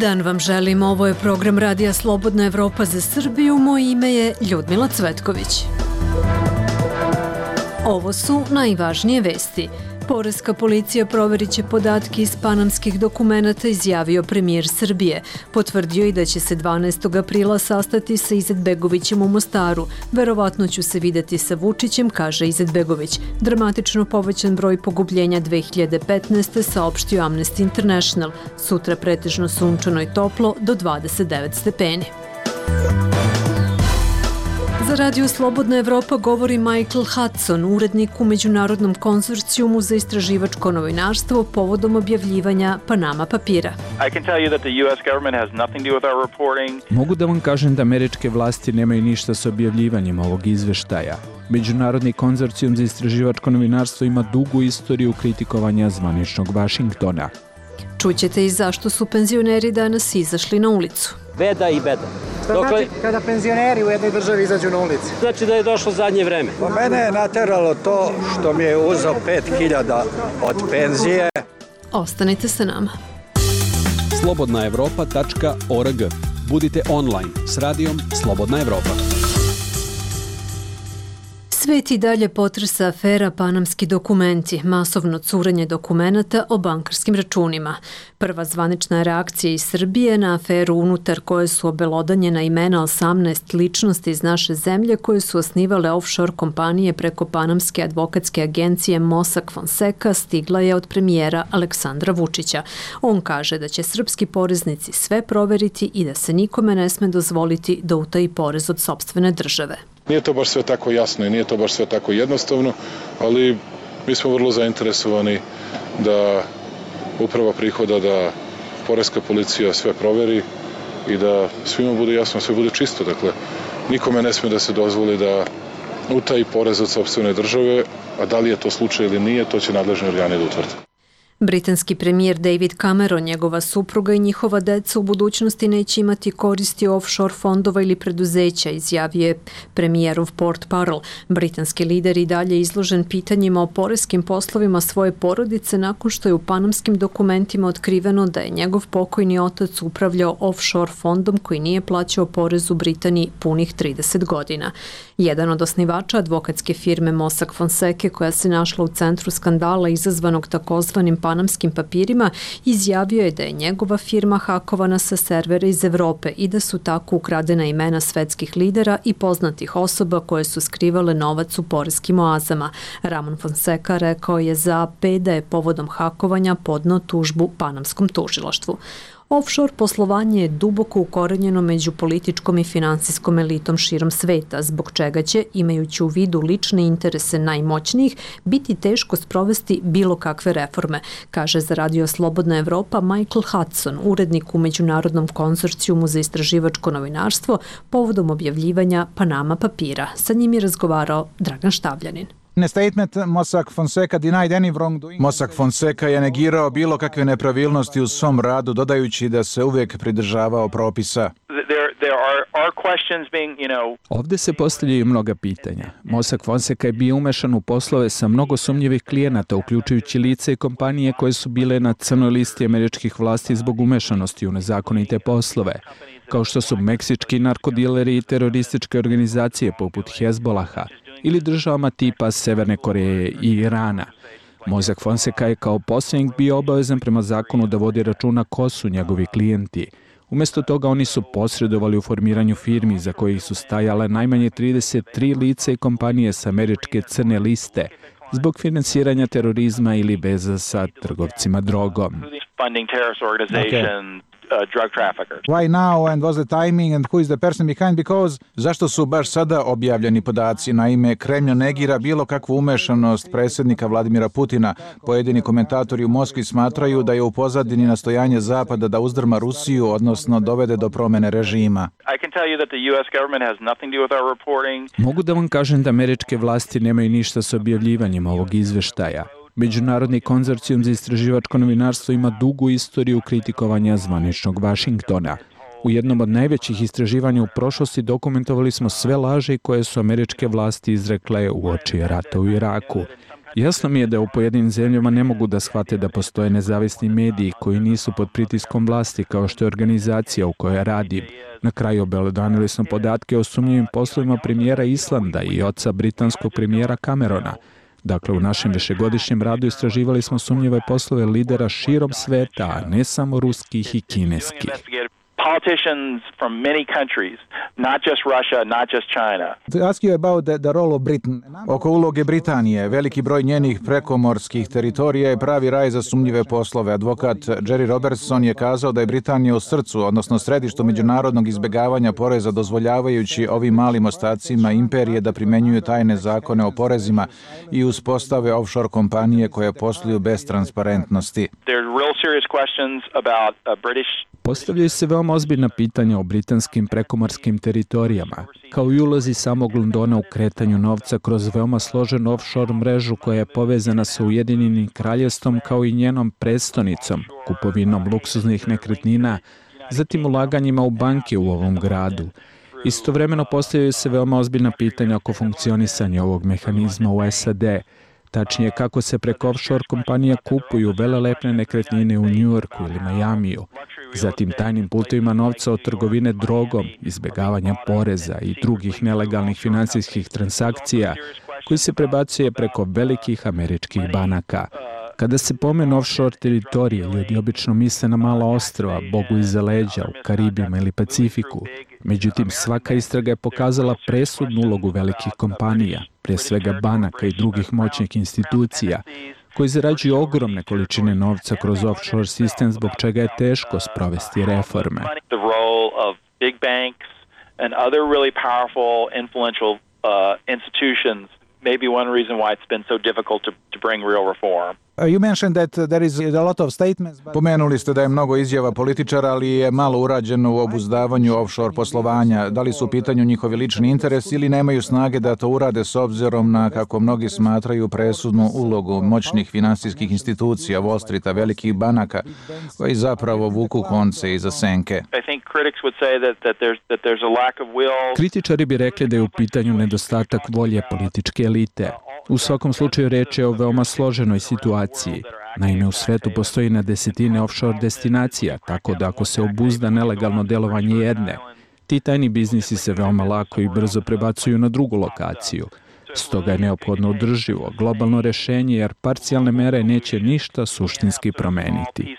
dan vam želim, ovo je program Radija Slobodna Evropa za Srbiju, moje ime je Ljudmila Cvetković. Ovo su najvažnije vesti. Poreska policija proverit će podatke iz panamskih dokumenata, izjavio premijer Srbije. Potvrdio i da će se 12. aprila sastati sa Izetbegovićem u Mostaru. Verovatno ću se videti sa Vučićem, kaže Izetbegović. Dramatično povećan broj pogubljenja 2015. saopštio Amnesty International. Sutra pretežno sunčano i toplo do 29 stepeni. Za Radio Slobodna Evropa govori Michael Hudson, urednik u Međunarodnom konzorcijumu za istraživačko novinarstvo povodom objavljivanja Panama papira. Mogu da vam kažem da američke vlasti nemaju ništa s objavljivanjem ovog izveštaja. Međunarodni konzorcijum za istraživačko novinarstvo ima dugu istoriju kritikovanja zvaničnog Vašingtona. Čućete i zašto su penzioneri danas izašli na ulicu. Beda i beda. Što znači kada penzioneri u jednoj državi izađu na ulici? Znači da je došlo zadnje vreme. Po mene je nateralo to što mi je uzeo 5.000 od penzije. Ostanite sa nama. slobodnaevropa.org. Budite online s radijom Slobodna Evropa. Svet i dalje potresa afera Panamski dokumenti, masovno curenje dokumenata o bankarskim računima. Prva zvanična reakcija iz Srbije na aferu unutar koje su obelodanjena imena 18 ličnosti iz naše zemlje koje su osnivale offshore kompanije preko panamske advokatske agencije Mossack Fonseca stigla je od premijera Aleksandra Vučića. On kaže da će srpski poreznici sve proveriti i da se nikome ne sme dozvoliti da utaji porez od sopstvene države. Nije to baš sve tako jasno i nije to baš sve tako jednostavno, ali mi smo vrlo zainteresovani da uprava prihoda, da poreska policija sve proveri i da svima bude jasno, sve bude čisto. Dakle, nikome ne sme da se dozvoli da utaji porez od sopstvene države, a da li je to slučaj ili nije, to će nadležni organi da utvrde. Britanski premijer David Cameron, njegova supruga i njihova deca u budućnosti neće imati koristi offshore fondova ili preduzeća, izjavio je premijerov portparol. Britanski lider i dalje izložen pitanjima o poreskim poslovima svoje porodice nakon što je u panamskim dokumentima otkriveno da je njegov pokojni otac upravljao offshore fondom koji nije plaćao porez u Britaniji punih 30 godina. Jedan od osnivača advokatske firme Mossack Fonseca, koja se našla u centru skandala izazvanog takozvanim panamskim papirima, izjavio je da je njegova firma hakovana sa servera iz Evrope i da su tako ukradena imena svetskih lidera i poznatih osoba koje su skrivale novac u poreskim oazama. Ramon Fonseca rekao je za AP da je povodom hakovanja podneo tužbu panamskom tužilaštvu. Offshore poslovanje je duboko ukorenjeno među političkom i finansijskom elitom širom sveta, zbog čega će, imajući u vidu lične interese najmoćnijih, biti teško sprovesti bilo kakve reforme, kaže za Radio Slobodna Evropa Michael Hudson, urednik u Međunarodnom konzorcijumu za istraživačko novinarstvo, povodom objavljivanja Panama papira. Sa njim je razgovarao Dragan Štavljanin. Mossack Fonseca je negirao bilo kakve nepravilnosti u svom radu, dodajući da se uvijek pridržavao propisa. Ovdje se postavljaju mnoga pitanja. Mossack Fonseca je bio umešan u poslove sa mnogo sumnjivih klijenata, uključujući lice i kompanije koje su bile na crnoj listi američkih vlasti zbog umešanosti u nezakonite poslove, kao što su meksički narkodileri i terorističke organizacije poput Hezbolaha ili državama tipa Severne Koreje i Irana. Mossack Fonseca je kao posrednik bio obavezan prema zakonu da vodi računa ko su njegovi klijenti. Umjesto toga oni su posredovali u formiranju firmi za kojih su stajale najmanje 33 lice i kompanije sa američke crne liste zbog finansiranja terorizma ili veza sa trgovcima drogom. Drug traffickers. Why now and what's the timing and who is the person behind? Because zašto su baš sada objavljeni podaci? Naime, Kremlj negira bilo kakvu umešanost predsjednika Vladimira Putina. Pojedini komentatori u Moskvi smatraju da je u pozadini nastojanje Zapada da uzdrma Rusiju, odnosno dovede do promjene režima. Mogu da vam kažem da američke vlasti nemaju ništa s objavljivanjem ovog izveštaja. Međunarodni konzorcijum za istraživačko novinarstvo ima dugu istoriju kritikovanja zvaničnog Vašingtona. U jednom od najvećih istraživanja u prošlosti dokumentovali smo sve laži koje su američke vlasti izrekle uoči rata u Iraku. Jasno mi je da u pojedinim zemljama ne mogu da shvate da postoje nezavisni mediji koji nisu pod pritiskom vlasti kao što je organizacija u kojoj radim. Na kraju obelodanili smo podatke o sumnjivim poslovima premijera Islanda i oca britanskog premijera Camerona. Dakle, u našem višegodišnjem radu istraživali smo sumnjive poslove lidera širom sveta, a ne samo ruskih i kineskih. Politicians from many countries, not just Russia, not just China. To ask you about the role of Britain. Oko uloge Britanije, veliki broj njenih prekomorskih teritorija je pravi raj za sumnjive poslove. Advokat Jerry Robertson je kazao da je Britanija u srcu, odnosno središtu međunarodnog izbjegavanja poreza, dozvoljavajući ovim malim ostacima imperije da primenjuju tajne zakone o porezima i uspostave offshore kompanije koje posluju bez transparentnosti. There's real serious questions about British. Postavljaju se veoma ozbiljna pitanja o britanskim prekomorskim teritorijama, kao i ulozi samog Londona u kretanju novca kroz veoma složenu offshore mrežu koja je povezana sa Ujedinjenim kraljevstvom kao i njenom prestonicom, kupovinom luksuznih nekretnina, zatim ulaganjima u banke u ovom gradu. Istovremeno postavljaju se veoma ozbiljna pitanja oko funkcionisanja ovog mehanizma u SAD, tačnije kako se preko offshore kompanija kupuju velelepne nekretnine u Njujorku ili Majamiju, zatim tajnim putovima novca od trgovine drogom, izbjegavanja poreza i drugih nelegalnih finansijskih transakcija koji se prebacuje preko velikih američkih banaka. Kada se pomenu offshore teritorije, ljudi obično misle na mala ostrva, Bogu iza leđa, u Karibima ili Pacifiku. Međutim, svaka istraga je pokazala presudnu ulogu velikih kompanija, prije svega banaka i drugih moćnih institucija, koji zarađuju ogromne količine novca kroz offshore sistem, zbog čega je teško sprovesti reforme. The role of big banks and other really powerful, influential institutions may be one reason why it's been so difficult to bring real reform. You mentioned that there is a lot of statements. Pomenuli ste da je mnogo izjava političara, ali je malo urađeno u obuzdavanju offshore poslovanja. Da li su u pitanju njihovi lični interes ili nemaju snage da to urade s obzirom na, kako mnogi smatraju, presudnu ulogu moćnih finansijskih institucija, Wall Streeta, velikih banaka, koji zapravo vuku konce iza senke. Kritičari bi rekli da je u pitanju nedostatak volje političke elite. U svakom slučaju reč je o veoma složenoj situaciji. Naime, u svetu postoji na desetine offshore destinacija, tako da ako se obuzda nelegalno delovanje jedne, ti tajni biznisi se veoma lako i brzo prebacuju na drugu lokaciju. Stoga je neophodno održivo, globalno rešenje, jer parcijalne mere neće ništa suštinski promeniti.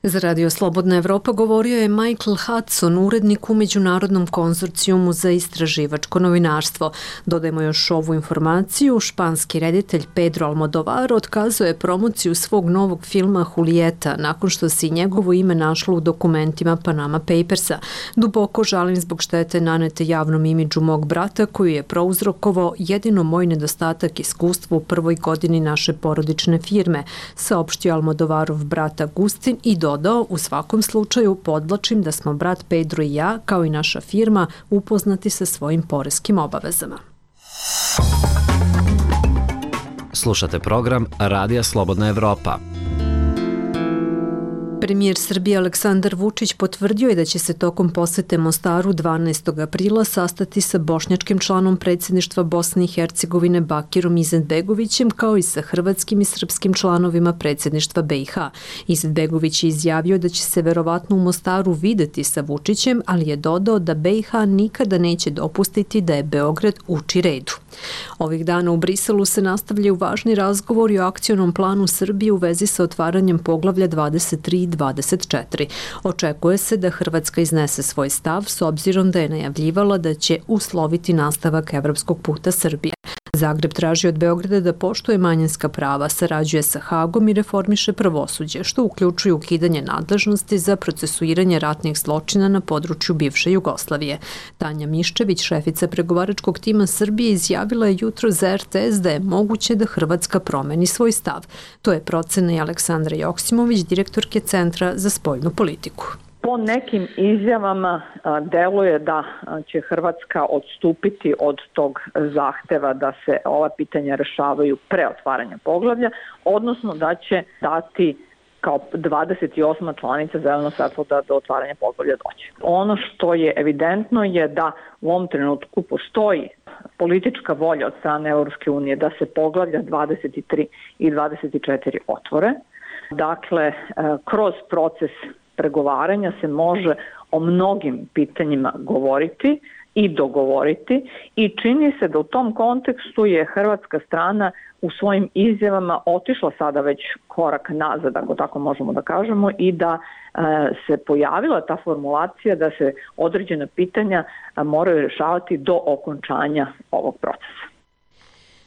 Za Radio Slobodna Evropa govorio je Michael Hudson, urednik u Međunarodnom konzorcijumu za istraživačko novinarstvo. Dodajmo još ovu informaciju. Španski reditelj Pedro Almodovar otkazuje promociju svog novog filma Julieta nakon što se njegovo ime našlo u dokumentima Panama Papersa. Duboko žalim zbog štete nanete javnom imidžu mog brata koji je prouzrokovao jedino moj nedostatak iskustva u prvoj godini naše porodične firme, saopštio Almodovarov brat Agustin i dodao, u svakom slučaju podvlačim da smo brat Pedro i ja, kao i naša firma, upoznati sa svojim poreskim obavezama. Slušate program Radija Slobodna Evropa. Premijer Srbije Aleksandar Vučić potvrdio je da će se tokom posete Mostaru 12. aprila sastati sa bošnjačkim članom predsjedništva Bosne i Hercegovine Bakirom Izetbegovićem, kao i sa hrvatskim i srpskim članovima predsjedništva BiH. Izetbegović je izjavio da će se verovatno u Mostaru videti sa Vučićem, ali je dodao da BiH nikada neće dopustiti da je Beograd uči redu. Ovih dana u Briselu se nastavljaju važni razgovori o akcionom planu Srbije u vezi sa otvaranjem poglavlja 23 i 24. Očekuje se da Hrvatska iznese svoj stav s obzirom da je najavljivala da će usloviti nastavak evropskog puta Srbije. Zagreb traži od Beograda da poštuje manjinska prava, sarađuje sa Hagom i reformiše pravosuđe, što uključuje ukidanje nadležnosti za procesuiranje ratnih zločina na području bivše Jugoslavije. Tanja Miščević, šefica pregovaračkog tima Srbije, izjavila je jutro za RTS da je moguće da Hrvatska promeni svoj stav. To je procena i Aleksandra Joksimović, direktorke Centra za spoljnu politiku. Po nekim izjavama deluje da će Hrvatska odstupiti od tog zahteva da se ova pitanja rešavaju pre otvaranja poglavlja, odnosno da će dati kao 28. članica zeleno svetlo da do otvaranja poglavlja doći. Ono što je evidentno je da u ovom trenutku postoji politička volja od strane Evropske unije da se poglavlja 23 i 24 otvore. Dakle, kroz proces pregovaranja se može o mnogim pitanjima govoriti i dogovoriti i čini se da u tom kontekstu je hrvatska strana u svojim izjavama otišla sada već korak nazad, ako tako možemo da kažemo, i da se pojavila ta formulacija da se određena pitanja moraju rješavati do okončanja ovog procesa.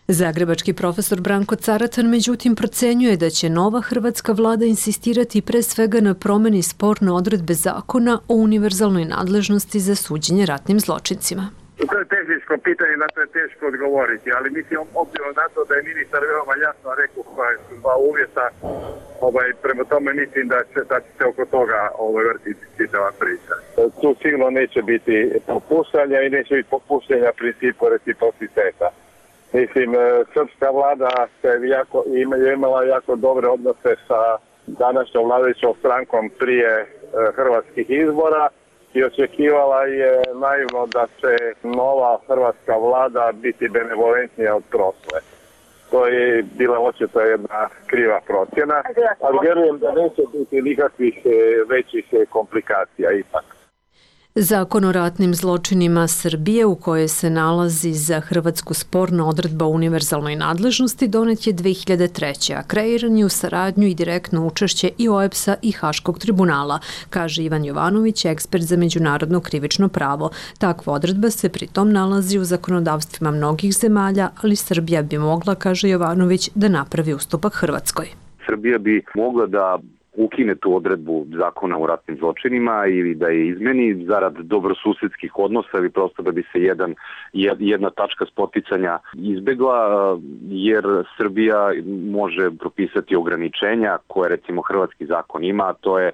Zagrebački profesor Branko Caratan međutim procenjuje da će nova hrvatska vlada insistirati pre svega na promeni sporne odredbe zakona o univerzalnoj nadležnosti za suđenje ratnim zločincima. To je tehničko pitanje, na to je teško odgovoriti, ali mislim obzirom na to da je ministar veoma jasno rekao koja su dva uvjeta, prema tome mislim da će se oko toga vrtiti čitava priča. Tu sigurno neće biti popuštanja i neće biti popuštanja principu reciprociteta. Mislim, srpska vlada je imala jako dobre odnose sa današnjom vladajućom strankom prije hrvatskih izbora i očekivala je naivno da će nova hrvatska vlada biti benevolentnija od prošle. To je bila očito jedna kriva procjena, ali vjerujem da neće biti nikakvih većih komplikacija ipak. Zakon o ratnim zločinima Srbije u kojoj se nalazi za Hrvatsku sporna odredba o univerzalnoj nadležnosti donet je 2003. a kreiran je u saradnju i direktno učešće i OEBS-a i Haškog tribunala, kaže Ivan Jovanović, ekspert za međunarodno krivično pravo. Takva odredba se pritom nalazi u zakonodavstvima mnogih zemalja, ali Srbija bi mogla, kaže Jovanović, da napravi ustupak Hrvatskoj. Srbija bi mogla da ukine tu odredbu zakona o ratnim zločinima ili da je izmeni zarad dobrosusedskih odnosa ili prosto da bi se jedna tačka spoticanja izbegla, jer Srbija može propisati ograničenja koje recimo hrvatski zakon ima, a to je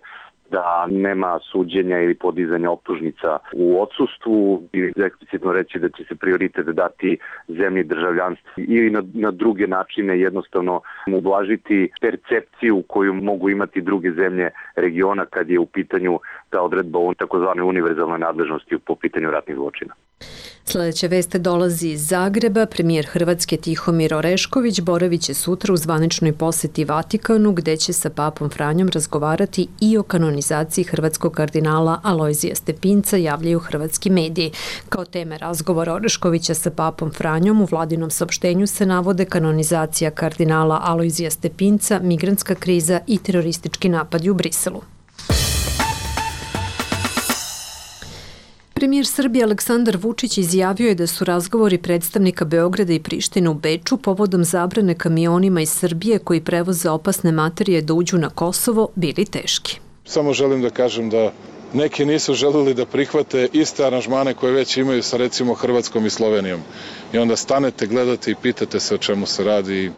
da nema suđenja ili podizanja optužnica u odsustvu ili eksplicitno reći da će se prioritet dati zemlji državljanstvu ili na druge načine jednostavno ublažiti percepciju koju mogu imati druge zemlje regiona kad je u pitanju ta odredba o takozvanoj univerzalnoj nadležnosti po pitanju ratnih zločina. Sljedeća vest dolazi iz Zagreba. Premijer Hrvatske Tihomir Orešković boravit će sutra u zvaničnoj posjeti Vatikanu, gde će sa papom Franjom razgovarati i o kanonizaciji hrvatskog kardinala Alojzija Stepinca, javljaju hrvatski mediji. Kao teme razgovora Oreškovića sa papom Franjom u vladinom saopštenju se navode kanonizacija kardinala Alojzija Stepinca, migrantska kriza i teroristički napadi u Briselu. Premijer Srbije Aleksandar Vučić izjavio je da su razgovori predstavnika Beograda i Prištine u Beču povodom zabrane kamionima iz Srbije koji prevoze opasne materije da uđu na Kosovo bili teški. Samo želim da kažem da neki nisu želeli da prihvate iste aranžmane koje već imaju sa recimo Hrvatskom i Slovenijom. I onda stanete, gledate i pitate se o čemu se radi.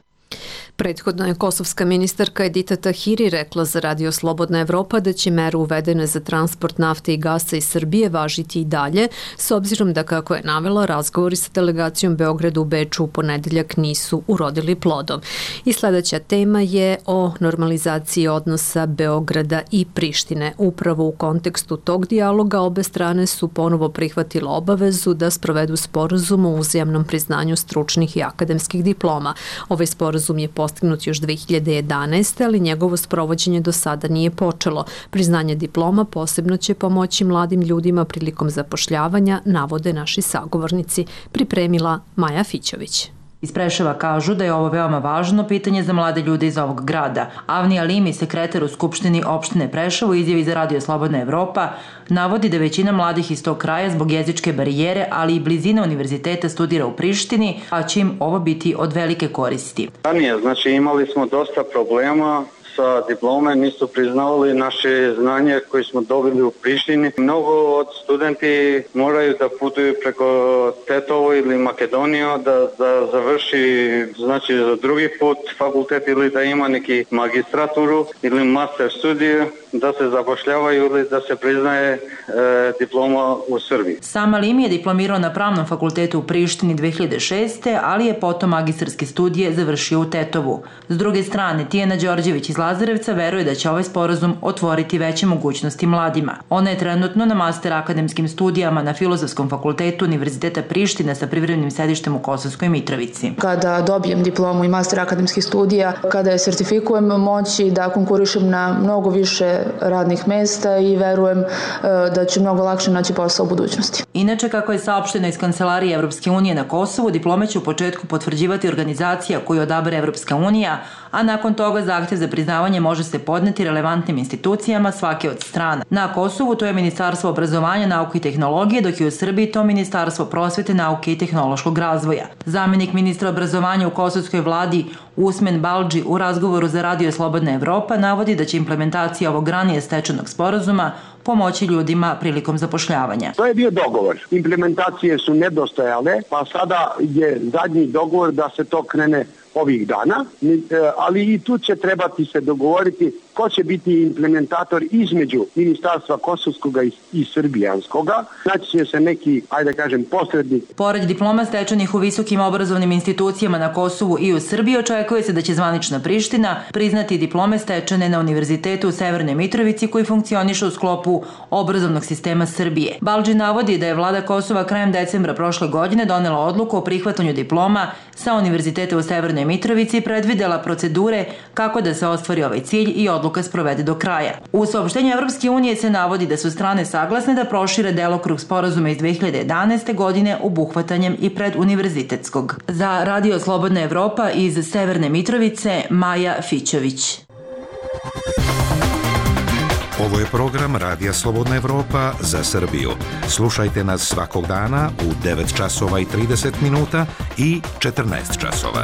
Prethodno je kosovska ministarka Edita Tahiri rekla za Radio Slobodna Evropa da će mere uvedene za transport nafte i gasa iz Srbije važiti i dalje, s obzirom da, kako je navela, razgovori sa delegacijom Beograda u Beču u ponedeljak nisu urodili plodom. I sljedeća tema je o normalizaciji odnosa Beograda i Prištine. Upravo u kontekstu tog dijaloga obe strane su ponovo prihvatile obavezu da sprovedu sporazum o uzajamnom priznanju stručnih i akademskih diploma. Ovaj sporazum je postignut još 2011. ali njegovo sprovođenje do sada nije počelo. Priznanje diploma posebno će pomoći mladim ljudima prilikom zapošljavanja, navode naši sagovornici, pripremila Maja Fićović. Iz Preševa kažu da je ovo veoma važno pitanje za mlade ljude iz ovog grada. Avni Alimi, sekretar u Skupštini opštine Preševo, izjavi za Radio Slobodna Evropa, navodi da većina mladih iz tog kraja zbog jezičke barijere, ali i blizine univerziteta studira u Prištini, a će im ovo biti od velike koristi. Ranije, znači imali smo dosta problema sa diplome, nisu priznavali naše znanje koje smo dobili u Prištini. Mnogo od studenti moraju da putuju preko Tetovo ili Makedoniju da završi, znači za drugi put fakultet ili da ima neki magistraturu ili master studiju, da se zapošljavaju ili da se priznaje diploma u Srbiji. Sam Alimi je diplomirao na Pravnom fakultetu u Prištini 2006. ali je potom magistarske studije završio u Tetovu. S druge strane, Tijana Đorđević iz Lazarevca veruje da će ovaj sporazum otvoriti veće mogućnosti mladima. Ona je trenutno na master akademskim studijama na Filozofskom fakultetu Univerziteta Prištine sa privremenim sedištem u Kosovskoj Mitrovici. Kada dobijem diplomu i master akademskih studija, kada je sertifikujem, moći da konkurišem na mnogo više radnih mesta i verujem da ću mnogo lakše naći posao u budućnosti. Inače, kako je saopšteno iz Kancelarije Evropske unije na Kosovu, diplome će u početku potvrđivati organizacija koju odabere Evropska unija, a nakon toga zahtev za priznavanje može se podneti relevantnim institucijama svake od strana. Na Kosovu to je Ministarstvo obrazovanja, nauke i tehnologije, dok je u Srbiji to Ministarstvo prosvete, nauke i tehnološkog razvoja. Zamenik ministra obrazovanja u kosovskoj vladi Usmen Baldži u razgovoru za Radio Slobodna Evropa navodi da će implementacija ovog ranije stečenog sporazuma pomoći ljudima prilikom zapošljavanja. To je bio dogovor. Implementacije su nedostajale, pa sada je zadnji dogovor da se to krene ovih dana, ali i tu će trebati se dogovoriti ko će biti implementator između Ministarstva kosovskog i srbijanskoga. Znači će se neki, ajde kažem, posrednik. Pored diploma stečenih u visokim obrazovnim institucijama na Kosovu i u Srbiji, očekuje se da će zvanična Priština priznati diplome stečene na Univerzitetu u Severnoj Mitrovici koji funkcioniše u sklopu obrazovnog sistema Srbije. Baldži navodi da je vlada Kosova krajem decembra prošle godine donela odluku o prihvatanju diploma sa Univerziteta u Severnoj Mitrovici i predvidela procedure kako da se ostvari ovaj cilj i odluka sprovede do kraja. U saopštenju Evropske unije se navodi da su strane saglasne da prošire delokrug sporazuma iz 2011. godine obuhvatanjem i preduniverzitetskog. Za Radio Slobodna Evropa iz Severne Mitrovice, Maja Fićović. Ovo je program Radija Slobodna Evropa za Srbiju. Slušajte nas svakog dana u 9 časova i 30 minuta i 14 časova.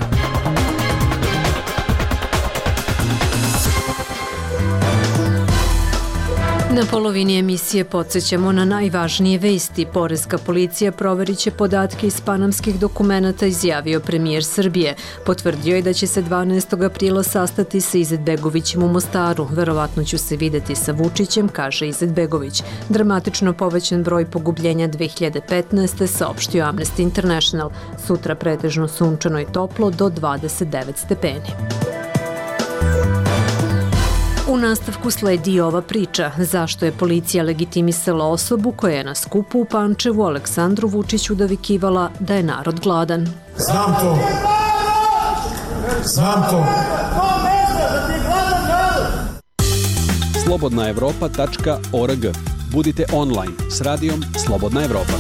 Na polovini emisije podsjećamo na najvažnije vesti. Poreska policija proverit će podatke iz panamskih dokumenata, izjavio premijer Srbije. Potvrdio je da će se 12. aprila sastati sa Izetbegovićem u Mostaru. Verovatno ću se videti sa Vučićem, kaže Izetbegović. Dramatično povećan broj pogubljenja 2015. saopštio Amnesty International. Sutra pretežno sunčano i toplo do 29 stepeni. U nastavku sledi ova priča. Zašto je policija legitimisala osobu koja je na skupu u Pančevu Aleksandru Vučiću dovikivala da je narod gladan? Znam to. Znam to. slobodnaevropa.org. Budite online s radijom Slobodna Evropa.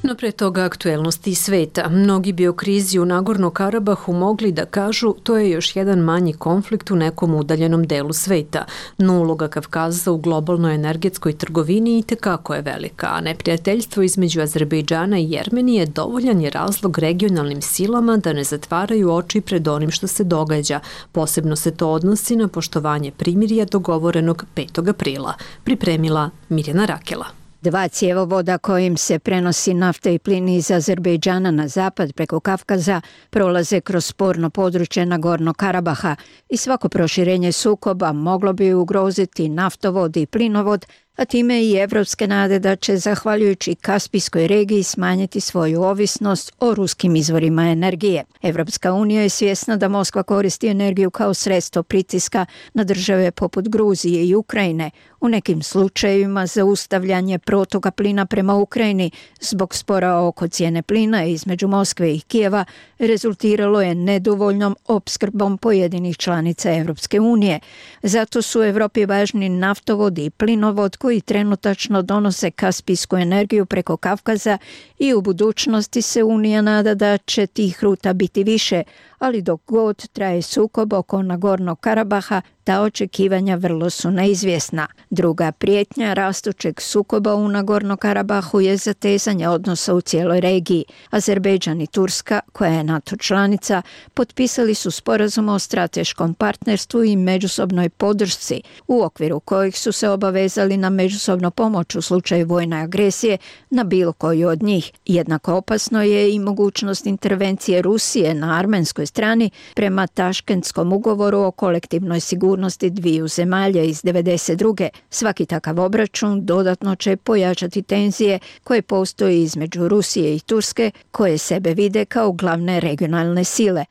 No pre toga aktuelnosti iz sveta. Mnogi bi o krizi u Nagorno-Karabahu mogli da kažu to je još jedan manji konflikt u nekom udaljenom delu sveta. No uloga Kavkaza u globalnoj energetskoj trgovini itekako je velika, a neprijateljstvo između Azerbejdžana i Jermenije dovoljan je razlog regionalnim silama da ne zatvaraju oči pred onim što se događa. Posebno se to odnosi na poštovanje primirja dogovorenog 5. aprila. Pripremila Mirjana Rakela. Dva cjevovoda kojim se prenosi nafta i plin iz Azerbejdžana na zapad preko Kavkaza prolaze kroz sporno područje Nagorno-Karabaha i svako proširenje sukoba moglo bi ugroziti naftovod i plinovod, a time i evropske nade da će, zahvaljujući Kaspijskoj regiji, smanjiti svoju ovisnost o ruskim izvorima energije. Evropska unija je svjesna da Moskva koristi energiju kao sredstvo pritiska na države poput Gruzije i Ukrajine. U nekim slučajevima zaustavljanje protoka plina prema Ukrajini zbog spora oko cijene plina između Moskve i Kijeva rezultiralo je nedovoljnom opskrbom pojedinih članica Evropske unije. Zato su Evropi važni naftovod i plinovod koji trenutačno donose kaspijsku energiju preko Kavkaza i u budućnosti se Unija nada da će tih ruta biti više, ali dok god traje sukob oko Nagornog Karabaha, ta očekivanja vrlo su neizvjesna. Druga prijetnja rastućeg sukoba u Nagorno Karabahu je zatezanje odnosa u cijeloj regiji. Azerbejdžan i Turska, koja je NATO članica, potpisali su sporazum o strateškom partnerstvu i međusobnoj podršci, u okviru kojih su se obavezali na međusobnu pomoć u slučaju vojne agresije na bilo koju od njih. Jednako opasno je i mogućnost intervencije Rusije na armenskoj strani prema Taškentskom ugovoru o kolektivnoj sigurnosti dviju zemalja iz 1992. Svaki takav obračun dodatno će pojačati tenzije koje postoji između Rusije i Turske, koje sebe vide kao glavne regionalne sile.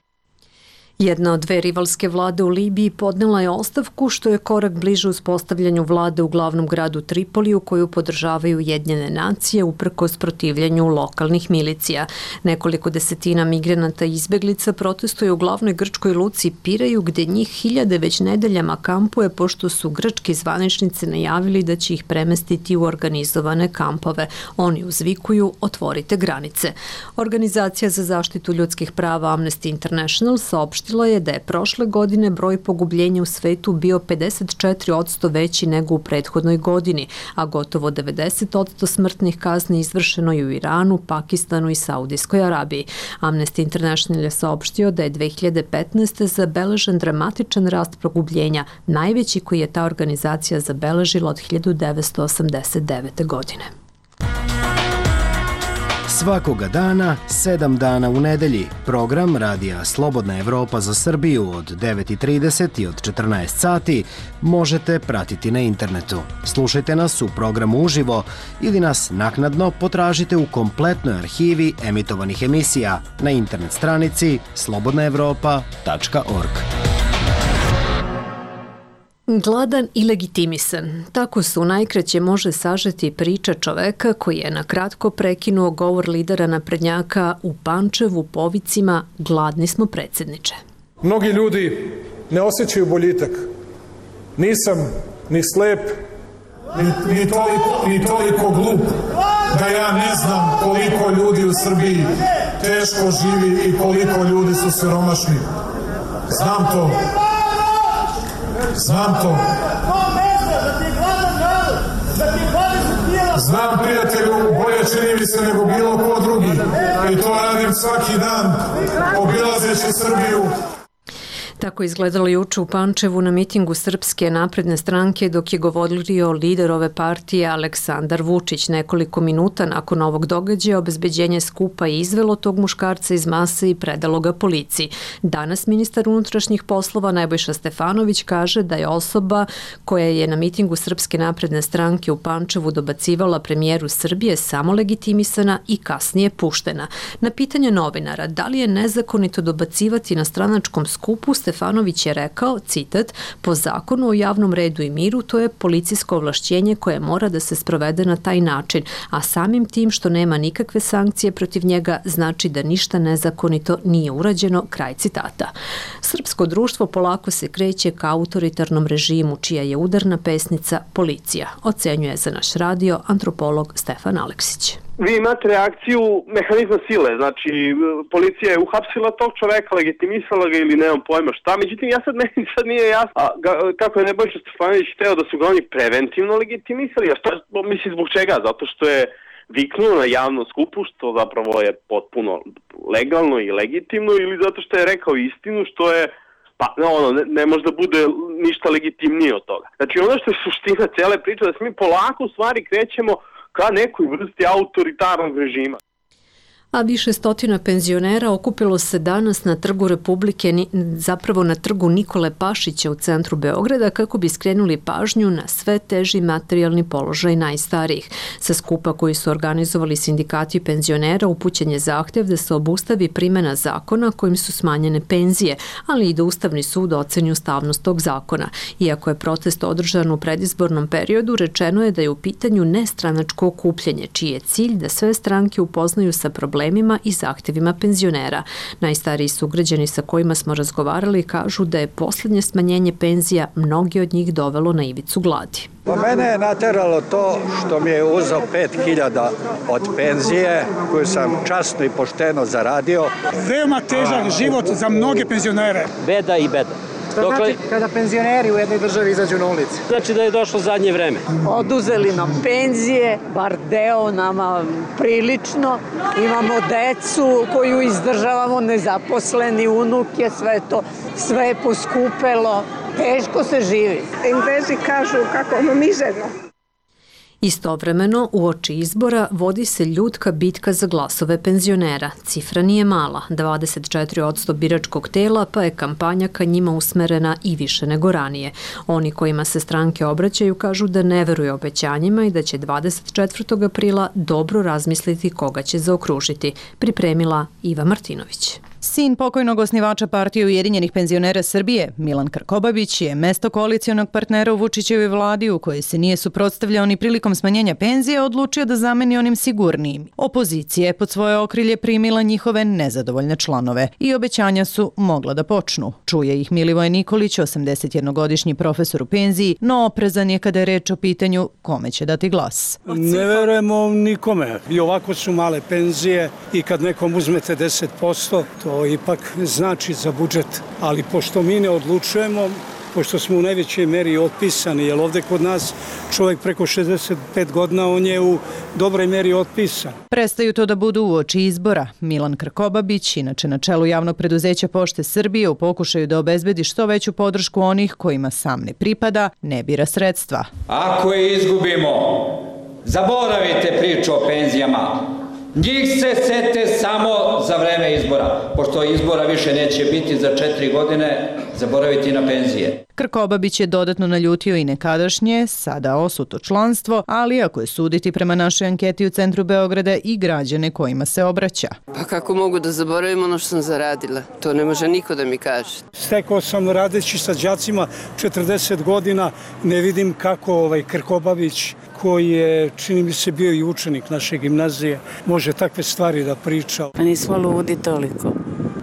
Jedna od dve rivalske vlade u Libiji podnela je ostavku, što je korak bliže uspostavljanju vlade u glavnom gradu Tripoliju koju podržavaju Ujedinjene nacije uprkos protivljenju lokalnih milicija. Nekoliko desetina migranata i izbeglica protestuje u glavnoj grčkoj luci Piraju, gde njih hiljade već nedeljama kampuje pošto su grčki zvaničnici najavili da će ih premestiti u organizovane kampove. Oni uzvikuju "Otvorite granice". Organizacija za zaštitu ljudskih prava Amnesty International saopštila je da je prošle godine broj pogubljenja u svetu bio 54% veći nego u prethodnoj godini, a gotovo 90% smrtnih kazni izvršeno je u Iranu, Pakistanu i Saudijskoj Arabiji. Amnesty International je saopštio da je 2015. zabeležen dramatičan rast pogubljenja, najveći koji je ta organizacija zabeležila od 1989. godine. Svakoga dana, 7 dana u nedelji, program Radija Slobodna Evropa za Srbiju od 9:30 i od 14 sati možete pratiti na internetu. Slušajte nas u programu uživo ili nas naknadno potražite u kompletnoj arhivi emitovanih emisija na internet stranici slobodnaevropa.org. Gladan i legitimisan. Tako se u najkraće može sažeti priča čoveka koji je na kratko prekinuo govor lidera naprednjaka u Pančevu povicima "Gladni smo, predsjedniče". Mnogi ljudi ne osjećaju boljitak. Nisam ni slep, ni toliko glup da ja ne znam koliko ljudi u Srbiji teško živi i koliko ljudi su siromašni. Znam to. Znam, prijatelju, bolje čini mi se nego bilo ko drugi. I to radim svaki dan, obilazeći Srbiju. Tako izgledalo juče u Pančevu na mitingu Srpske napredne stranke dok je govorio lider ove partije Aleksandar Vučić. Nekoliko minuta nakon ovog događaja obezbeđenje skupa je izvelo tog muškarca iz mase i predalo ga policiji. Danas ministar unutrašnjih poslova Nebojša Stefanović kaže da je osoba koja je na mitingu Srpske napredne stranke u Pančevu dobacivala premijeru Srbije samo legitimisana i kasnije puštena. Na pitanje novinara da li je nezakonito dobacivati na stranačkom skupu, Stefanović je rekao, citat, "Po zakonu o javnom redu i miru to je policijsko ovlašćenje koje mora da se sprovede na taj način, a samim tim što nema nikakve sankcije protiv njega znači da ništa nezakonito nije urađeno", kraj citata. Srpsko društvo polako se kreće ka autoritarnom režimu, čija je udarna pesnica policija, ocenjuje za naš radio antropolog Stefan Aleksić. Vi imate reakciju mehanizma sile, znači policija je uhapsila tog čoveka, legitimisala ga ili nemam pojma šta, međutim meni sad nije jasno kako je Nebojša Stefanović hteo da su ga oni preventivno legitimisali, a šta, mislim zbog čega, zato što je viknuo na javnom skupu, što zapravo je potpuno legalno i legitimno, ili zato što je rekao istinu, što je ne može da bude ništa legitimnije od toga. Znači ono što je suština cele priče, da se mi polako u stvari krećemo ka nekoj vrsti autoritarnog režima. A više stotina penzionera okupilo se danas na Trgu Republike, zapravo na Trgu Nikole Pašića u centru Beograda, kako bi skrenuli pažnju na sve teži materijalni položaj najstarijih. Sa skupa koji su organizovali sindikati penzionera upućen je zahtev da se obustavi primjena zakona kojim su smanjene penzije, ali i da Ustavni sud oceni ustavnost tog zakona. Iako je protest održan u predizbornom periodu, rečeno je da je u pitanju nestranačko okupljanje, čiji je cilj da sve stranke upoznaju sa problemima i zahtevima penzionera. Najstariji sugrađani sa kojima smo razgovarali kažu da je posljednje smanjenje penzija mnogi od njih dovelo na ivicu gladi. Mene je nateralo to što mi je uzeo 5.000 od penzije koju sam časno i pošteno zaradio. Veoma težak život za mnoge penzionere. Beda i beda. Što znači kada penzioneri u jednoj državi izađu na ulici? Znači da je došlo zadnje vreme. Oduzeli nam penzije, bar deo nama prilično. Imamo decu koju izdržavamo, nezaposleni, unuke, sve je poskupelo. Teško se živi. Englezi kažu kako ono mizerno. Istovremeno, uoči izbora vodi se ljutka bitka za glasove penzionera. Cifra nije mala, 24% biračkog tela, pa je kampanja ka njima usmerena i više nego ranije. Oni kojima se stranke obraćaju kažu da ne veruju obećanjima i da će 24. aprila dobro razmisliti koga će zaokružiti, pripremila Iva Martinović. Sin pokojnog osnivača Partije Ujedinjenih penzionera Srbije, Milan Krkobabić, je mesto koalicionog partnera u Vučićevoj vladi u kojoj se nije suprotstavljao ni prilikom smanjenja penzije, odlučio da zameni onim sigurnijim. Opozicija je pod svoje okrilje primila njihove nezadovoljne članove i obećanja su mogla da počnu. Čuje ih Milivoje Nikolić, 81-godišnji profesor u penziji, no oprezan je kada je reč o pitanju kome će dati glas. Ne verujemo nikome. I ovako su male penzije i kad nekom uzmete 10%, to ipak znači za budžet. Ali pošto mi ne odlučujemo, pošto smo u najvećoj meri otpisani, jer ovde kod nas čovjek preko 65 godina, on je u dobroj meri otpisan. Prestaju to da budu uoči izbora. Milan Krkobabić, inače na čelu javnog preduzeća Pošte Srbije, u pokušaju da obezbedi što veću podršku onih kojima sam ne pripada, ne bira sredstva. Ako je izgubimo, zaboravite priču o penzijama. Njih se sete samo za vreme izbora. Pošto izbora više neće biti za 4 godine, zaboraviti na penzije. Krkobabić je dodatno naljutio i nekadašnje, sada osuto članstvo, ali ako je suditi prema našoj anketi u centru Beograda i građane kojima se obraća. Pa kako mogu da zaboravim ono što sam zaradila? To ne može niko da mi kaže. Stekao sam radeći sa đacima 40 godina, ne vidim kako Krkobabić, koji je, čini mi se, bio i učenik naše gimnazije, može takve stvari da priča. Pa nismo ludi toliko.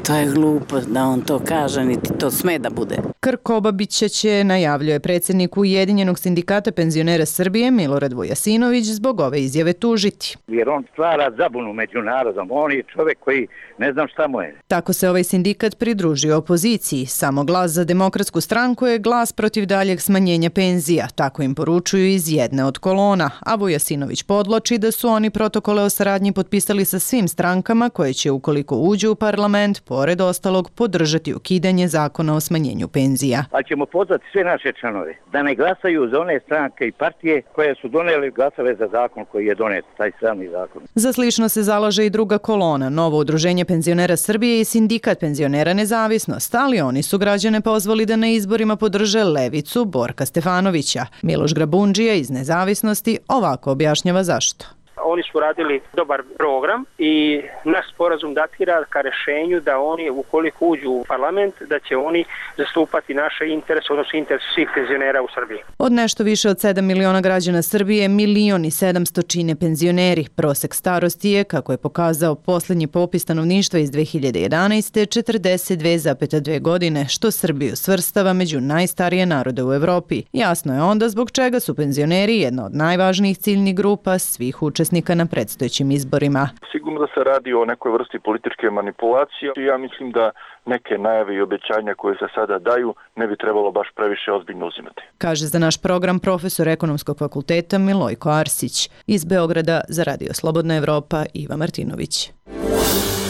To je glupo da on to kaže, niti to sme da bude. Krkobabića će, najavljuje predsjednik Ujedinjenog sindikata penzionera Srbije Milorad Vujasinović, zbog ove izjave tužiti. Jer on stvara zabunu među narodom, on je čovjek koji ne znam šta mu je. Tako se ovaj sindikat pridružio opoziciji. Samo glas za Demokratsku stranku je glas protiv daljeg smanjenja penzija, tako im poručuju iz jedne od kolona, a Vujasinović podloči da su oni protokole o saradnji potpisali sa svim strankama koje će, ukoliko uđu u parlament, pored ostalog, podržati ukidanje zakona o smanjenju penzija. Ali ćemo pozvati sve naše članove da ne glasaju za one stranke i partije koje su doneli glasove za zakon koji je donet, taj sami zakon. Za slično se zalaže i druga kolona, Novo udruženje penzionera Srbije i Sindikat penzionera Nezavisnost, ali oni su građane pozvali da na izborima podrže levicu Borka Stefanovića. Miloš Grabundžija iz Nezavisnosti ovako objašnjava zašto. Oni su radili dobar program i naš sporazum datira ka rešenju da oni, ukoliko uđu u parlament, da će oni zastupati naše interese, odnosno interese svih penzionera u Srbiji. Od nešto više od 7 miliona građana Srbije, 1.700.000 čine penzioneri. Prosek starosti je, kako je pokazao posljednji popis stanovništva iz 2011. 42,2 godine, što Srbiju svrstava među najstarije narode u Evropi. Jasno je onda zbog čega su penzioneri jedna od najvažnijih ciljnih grupa svih učesnika na predstojećim izborima. Sigurno da se radi o nekoj vrsti političke manipulacije. Ja mislim da neke najave i obećanja koje se sada daju ne bi trebalo baš previše ozbiljno uzimati. Kaže za naš program profesor Ekonomskog fakulteta Milojko Arsić. Iz Beograda za Radio Slobodna Evropa Iva Martinović.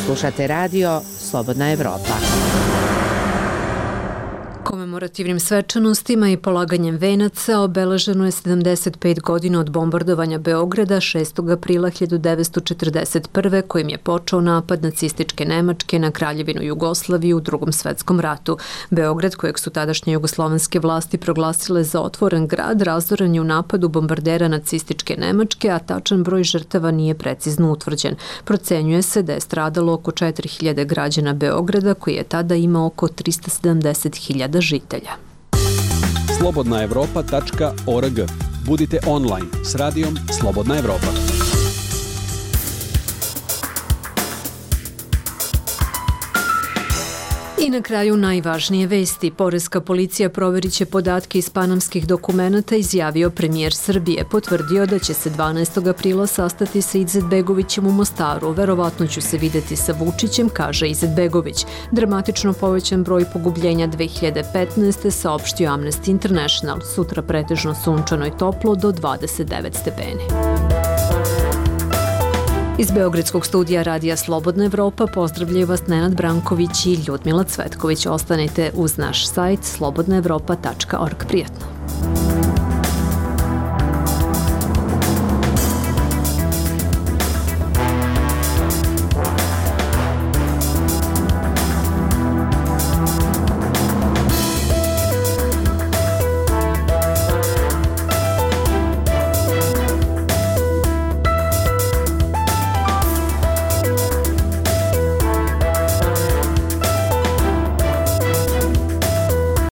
Slušate Radio Slobodna Evropa. Komemorativnim svečanostima i polaganjem venaca obeleženo je 75 godina od bombardovanja Beograda 6. aprila 1941. kojim je počeo napad nacističke Nemačke na Kraljevinu Jugoslaviju u Drugom svetskom ratu. Beograd, kojeg su tadašnje jugoslovenske vlasti proglasile za otvoren grad, razoren je u napadu bombardera nacističke Nemačke, a tačan broj žrtava nije precizno utvrđen. Procenjuje se da je stradalo oko 4000 građana Beograda, koji je tada imao oko 370.000 žitelja. slobodnaevropa.org. Budite online s radijom Slobodna Evropa. I na kraju najvažnije vesti. Poreska policija proverit će podatke iz panamskih dokumenata, izjavio premijer Srbije. Potvrdio da će se 12. aprila sastati sa Izetbegovićem u Mostaru. Verovatno ću se videti sa Vučićem, kaže Izetbegović. Dramatično povećan broj pogubljenja 2015. saopštio Amnesty International. Sutra pretežno sunčano i toplo do 29 stepeni. Iz Beogradskog studija Radija Slobodna Evropa pozdravljaju vas Nenad Branković i Ljudmila Cvetković. Ostanite uz naš sajt slobodnaevropa.org. Prijetno.